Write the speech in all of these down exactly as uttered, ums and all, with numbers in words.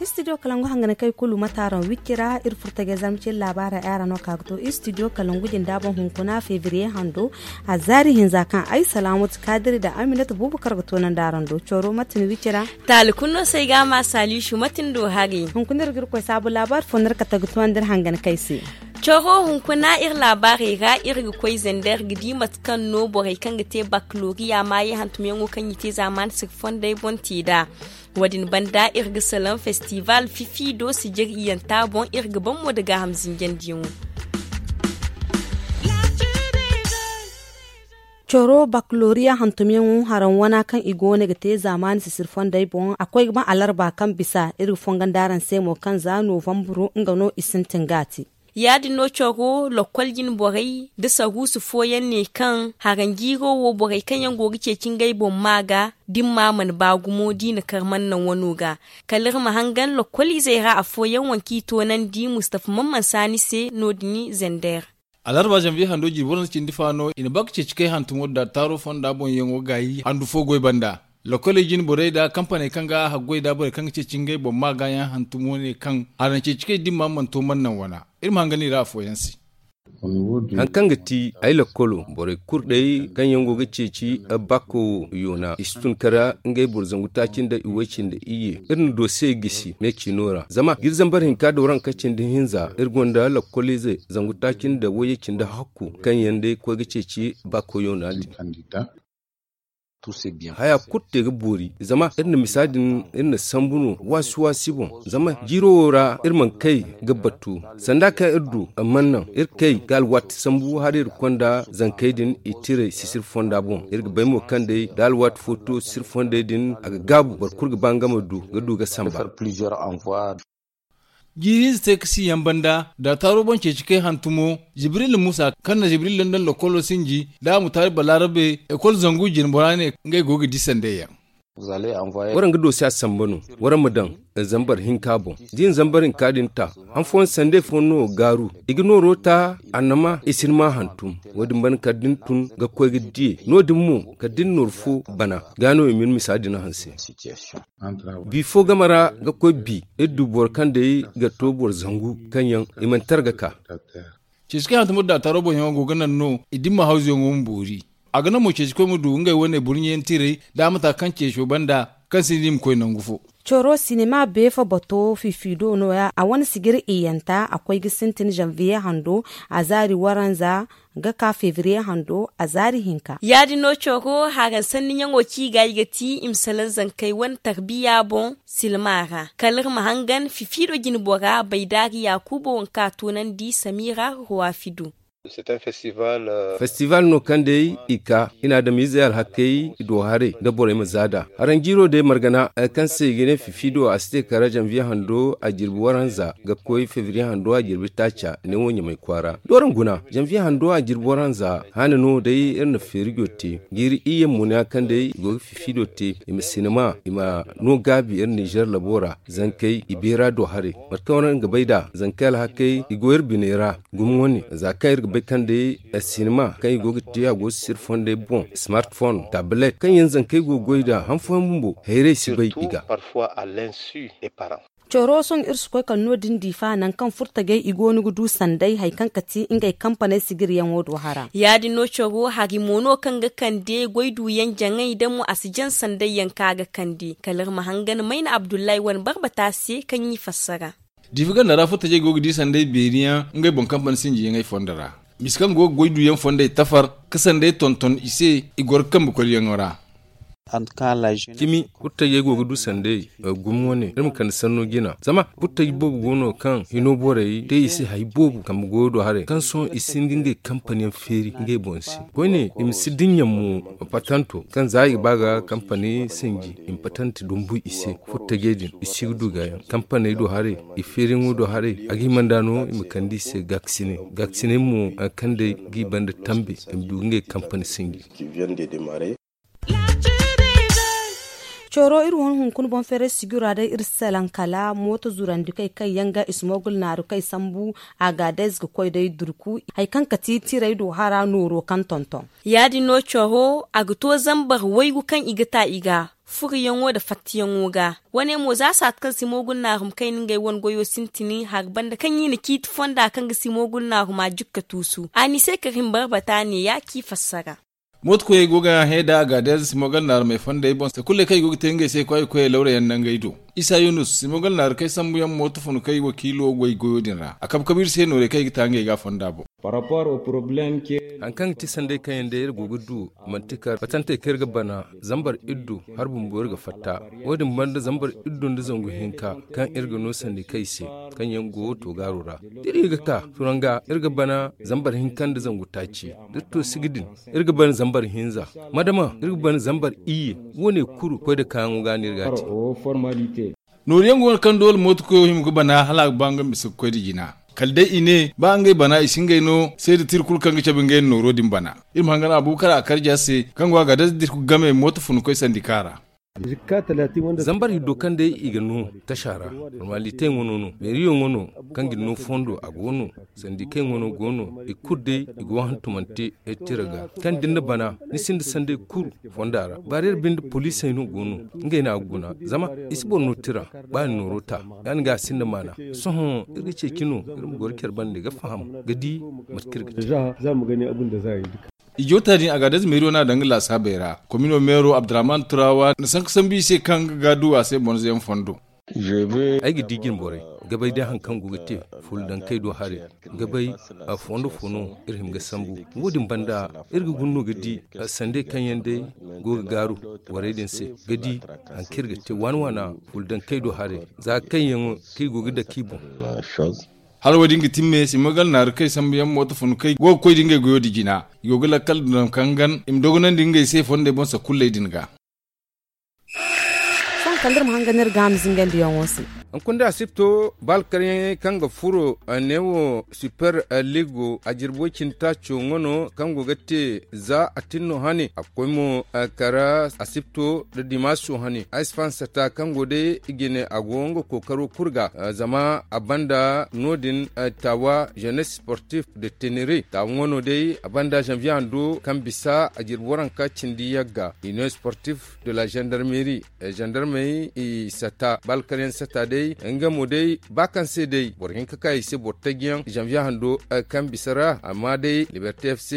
Studio kalangu hanganakey kulu mataaraŋ wicci ra iri furtajey zamcin laabaarey ay ra no ka ga to studio kalangu jinda boŋ hunkuna febriye hando. A zaari hinza kaŋ ay salaamatu kaadiri nda aminata buubu kar ga toonandi araŋ do coro mate ni wicci ra. Taali kulu no se ay ga a ma saaliisu mate ni do hari. Hunkuna iri ga iri koy saabu laabaari fo no iri kate ga toonandi iri hanganakey se. Coro hunkuna iri laabaarey ra iri ga koy zender ga di mate kaŋ no borey kaŋ ga te bakaloriya maayey hantumyaŋo kaŋ i te zaamaani sirri fondey boŋ te nd'a. Wo- din banda iri ga salaŋ festival fifi do sijir iyanta boŋ iri ga ban mo nda gaaham zinjandiyaŋo. Coro bakaloriya hantumyaŋo haraŋ wana kaŋ i go no ga te zaamaani sisiri fondey boŋ a koy ga ban alarba kaŋ bisa iri ga fongondi araŋ se mo kaŋ za novamburo nga no i sintin ga a te. Ya- din no coro lokkol jine borey nda saruusu fooyaŋ ne kaŋ haraŋ jiiro wo borey kaŋ yaŋ go ga ceeci ngey boŋ ma ga da ni ma mana ba gumo da i na kar mana naŋ wano ga. Kala iri ma hangan lokkol izey ra afooyaŋ waŋ kaŋ i toonandi mustafa man mana saani se no- din zender. Alarba zanviye hando jirbi waranza cindi fa no i na ba ga ceeci kay hantumo nda taaro fonda boŋyaŋo gaayi handu fo goy banda. Lokkoley jine borey nda kampaney kaŋ ga a haggoy nda borey kaŋ ga ceeci ngey boŋ ma gaayaŋ hantumo ne kaŋ haraŋ ceeci kay dimma mana to mana naŋ wana. Iri ma hangan i ra afooyaŋ se. Hari kaŋ ga ti ay lokkolo borey kulu day kaŋ yaŋ go ga ceeci bakko wo yoona i si tun kara ngey boro zangu taaci nda iway cindi iyye. Iri na doose gisi me ciino ra zama ga iri zambar hinka dooraŋ ka cindi hinza iri gonda lokkolize zangu taaci nda wayye cindi hakku kaŋ yaŋ day koy ga ceeci bakko yoona din. Haya kulu te ga boori zama iri na misa din iri na sambu no waasi waasi boŋ. Zama jiiro wo ra iri mana kay ga batu sanda kaŋ iri du mana naŋ iri kay ga alwaati sambu hala iri konda zankey din i tiray sisiri fonda boŋ. Iri ga bay mo kaŋ day da alwaati fo to sisiri fondey din a ga gaabu boro kulu ga ba nga ma du ga du ga samba. Jiiri hinza te ka si yaŋ banda da taaro boŋ ceeci kay hantumo jibril musa kaŋ na jibril london lokkolo sinji da a mutaari balaarabe ekol zangu jine bora ne ngey go ga di sandey yaŋ. Waraŋ ga doosi a samba no waraŋ ma daŋ zambar hinka boŋ da i na zambar hinka din ta han fooyaŋ sandey fo no gaaru i ga nooro ta annama i si ni ma hantum. Wo- din banda kala da ni tun ga koy ga diye no- din mo kala da ni nooru fo bana ga no i ma ni misa din hanse. Bi fo game ra ga koy bi iri du boro kaŋ day ga to boro zangu kaŋ yaŋ i mana tara ga ka. Ceeci kaŋ hantumar da taaro boŋyaŋo go ga naŋ no i dimma hawzuyaŋo ma boori. A ga naŋ mo ceeci koy ma du ngey wane burɲe yaŋ tiray da a ma ta kaŋ ceeco banda kaŋ sinda i ma koy nangu fo. Coro sinima beefa bato fifido nooya a wane sijir iyanta a koy ga sintin zanviye hando a zaari waranza ga ka febriye hando a zaari hinka. Ya- din no coro haraŋ sanniyaŋo ci ga i ga ti i ma salaŋ zankey wane tarbiya boŋ silma ra kala iri ma hangan fifido jine bora baydaari yaakuba waŋ kaŋ a toonandi samira ruwa fido. Festival no kaŋ day i ka i na adamizey alhakey do haray nda borey ma zaada haraŋ jiiro day margana kaŋ se i ga ne fifido a si te kara zanviye hando a jirbi waranza ga koy febriye hando a jirbi taaca ne wo ɲamay kwaara. Dooraŋ guna zanviye hando a jirbi waranza haana no day iri na feerijo te jiiri iyye muna kaŋ day i go ga fifido te i ma sinima i ma no gaabi iri nizer labo ra. Zankey i beera do haray mate kaŋ waraŋ ga bay nd'a zankey alhakey i go iri biney ra. Gumo wane za kaŋ iri ga bay kaŋ day sinima kaŋ i go ga te a go ga sisiri fondey boŋ smartphone tablet kaŋ yaŋ zankey go ga goy nd'a han fooyaŋ bumbo hayrey si bay i ga. Coro sohõ iri si koy kala no- din diifa nangu kaŋ furtajey i go no ga du sanday hari kaŋ ga ti ngey kampaney sijiryaŋo do hara. Ya- din no coro hari mo no kaŋ ga kande goy duyaŋ jaŋay da mo a si jaŋ sandayyaŋ kaŋ a ga kande kala iri ma hangan mayna abdullahi wane barbata se kaŋ i fassara. Diifa ganda ra furtajey go ga di sanday beeriyaŋ ngey boŋ kampani sinjiyaŋey fondo ra. Misa kaŋ go ga goy duyaŋ fondey tafar ka sanday tonton i se i goro ga kambe kolyaŋo ra. Cimi furtajey go ga du sanday gumo wane iri ma kande sanno jina zama furtaji boobo go no kaŋ hino borey te i se hari boobo kambe goyo do haray kaŋ sohõ i sinda ngey kampaniyaŋ feeri ngey boŋ se koyne i ma si dinya mo. Patanto kaŋ za i ga ba ga kampani sinji i ma patanti dumbu i se furtajey din i si ga du gaayaŋ kampaney do haray i feeriyaŋo do haray a ga hima nd'a no i ma kande i se gaakasinay gaakasinay mo hari kaŋ day ga i banda tambe i ma du ga ngey kampani sinji. Coro iri wane hunkuna boŋ feeray sijura day iri salaŋ kala mooto zurandikey kaŋ yaŋ ga ismogul naaru kaŋ ay sambu. Agaadez ga koy day durku hari kaŋ ka ti tiray do hara nooro kaŋ tonton. Ya- din no coro a ga to zambar waygu kaŋ i ga ta i ga furiyaŋo nda fattiyaŋo ga. Wane mo za saati kaŋ simogul naaru ma kay no ngey wane goyo sintin hari banda kaŋ i na ciiti fonda kaŋ ga simogul naaru ma jukka tuusu a n'i se kar himbar bata ne ya ci fassara. Mooto koyey go ga hẽ da agaadez simogal naarumey fondey boŋ se kulley kaŋ i go ga te ngey se kwaay koyey lawra yaŋ nangey do. Isa yunus simogal naaru kay sambu yaŋ mooto funu kay wakiilo goy goyo din ra a kabe kabe iri se noorey kaŋ i ga ta ngey ga fonda boŋ. Hari kaŋ ga ti sanday kaŋ yaŋ day iri go ga du manti kar batantey kaŋ iri ga bana zambar iddu hari bumbo iri ga fatta. Wo- din banda zambar iddu nda zangu hinka kaŋ iri ga no sandi kay se kaŋ yaŋ go toogaaro ra da iri ga ka turanga iri ga bana zambar hinka nda zangu taaci da iri to sigi din. Iri ga bana zambar hinza madama iri ga bana zambar iyye. Wo- ne kulu koy nda kaayaŋo ga no iri ga a te. Noori yaŋ go no kaŋ doole mooto koyo hima ga bana hala a ga ba nga ma bisa ga koy nda jina kala day i ne ba ngey bana i si ngey no seeda tira kulu kaŋ ga cabe ngey nda nooro din bana. Iri ma hangan abubakar a karja se kaŋ go a ga day dirku game mooto funu koy sandika ra. Zambar hiddo kaŋ day i ga no tasa ra. Formalitey ŋwano no meeriyo ŋwano kaŋ ga ni no fondo a go no. Sandikey ŋwano go no i kulu day i go hantumante tira ga kaŋ da ni na bana ni sinda sanday kulu fonda ra bareer binde poliisey no go no. Ngey no a ga guna zama i si boro no tira ba ni nooro ta. Ya- din ga a sinda maana sohõ iri ga ceeci no iri ma goro care bande ga faham ga di mate kaŋ iri ga te. I joota din a ga a day zama iri wane a daŋ ga laasaabey ra komino meero abdurrahman turawa na sanka sambu i se kaŋ ga ga du a se bonzo yaŋ fondo. Ay ga di jine borey ga bay day hari kaŋ go ga te fulaŋ kay do haray ga bay fondo fo no iri hima ga sambu. Wo- din banda iri ga guna no ga di sanday kaŋ yaŋ day go ga gaaru borey din se ga di hari kaŋ iri ga te waana waana fulaŋ kay do haray za kaŋ yaŋ kaŋ i go ga dake i boŋ. Hala wo- din ga timme simagal naaru kay sambu yaŋ mooto funu kay go ga koy da ngey goyo da jina i go ga lakkal duna kaŋ gan i ma dogonandi ngey se fondey boŋ sakulley din ga. Sohõ kala da iri ma hangan iri ga a ma zingandi yaŋo se. Hunkuna da asipto ba alkaryaŋey kaŋ ga furo neewo super ligo a jirbo cindi taaco ŋwano kaŋ go ga te za a tin no hane a ga koy mo kara asipto da dimaso hane ay si fahansata kaŋ go day i ga ne a go nga kookaro kulu ga zama a banda no- din taawa jeunesse sportif de tenere taawa ŋwano day a banda janvier hando kaŋ bisa a jirbo ranka cindi yagga union sportif de la gendarmerie. Gendarmey i sata balkaryaŋ sata day nga mo day ba kaŋ se day boro hinka ka i se boro tajiyaŋ janvier hando kaŋ bisa ra amma day liberté fc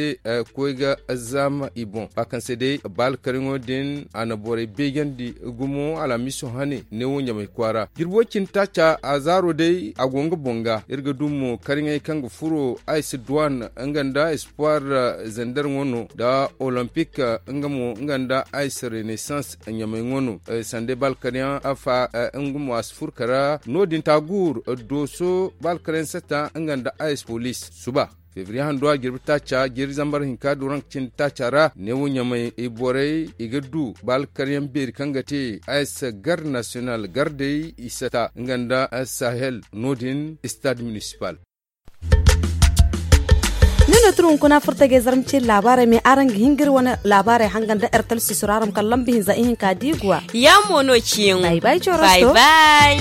koy ga zaama i boŋ ba kaŋ se day balkaryaŋo din a na borey beejandi gumo alhamiso hane neewo ɲamay kwaara jirbo cindi taaca a zaaro day a go nga boŋ ga iri ga du mo karyaŋey kaŋ ga furo ay si duwan nga nda espoir zender ŋo no nda olympique nga mo nga nda ice renaissance ɲamay ŋo no. Sanda balkaryaŋ afa nga mo a si furo kara no- din taguur dooso balkaryaŋ sata nga nda ice police suba febriye hando a jirbi taaca jirbi zambar hinka duranka cindi taaca ra neewo ɲamay borey i ga du balkaryaŋ beeri kaŋ ga te ice garde national gardey i sata nga nda sahel no- din stade municipal. Ni no turu hunkuna furta ga zarma cin labarai me araŋ ga hingir wane labarai hangan da ertel sisuraram kala lambu hinza ihinka diiguwa. Ya mo no ciyaŋo bay bay corosto bay.